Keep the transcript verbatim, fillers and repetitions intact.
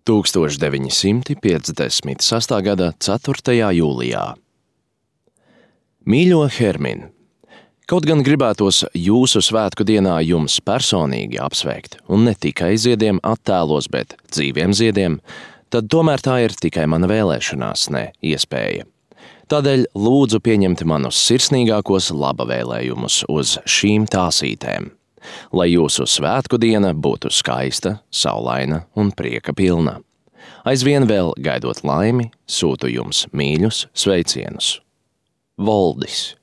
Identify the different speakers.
Speaker 1: tūkstoš deviņi simti piecdesmit sestā gada ceturtajā jūlijā. Mīļo Hermin, kaut gan gribētos jūsu svētku dienā jums personīgi apsveikt, un ne tikai ziediem attēlos, bet dzīviem ziediem, tad tomēr tā ir tikai mana vēlēšanās, ne iespēja. Tādēļ lūdzu pieņemt manus sirsnīgākos laba vēlējumus uz šīm tāsītēm, lai jūsu svētku diena būtu skaista, saulaina un prieka pilna. Aizvien vēl gaidot laimi, sūtu jums mīļus sveicienus. Voldis.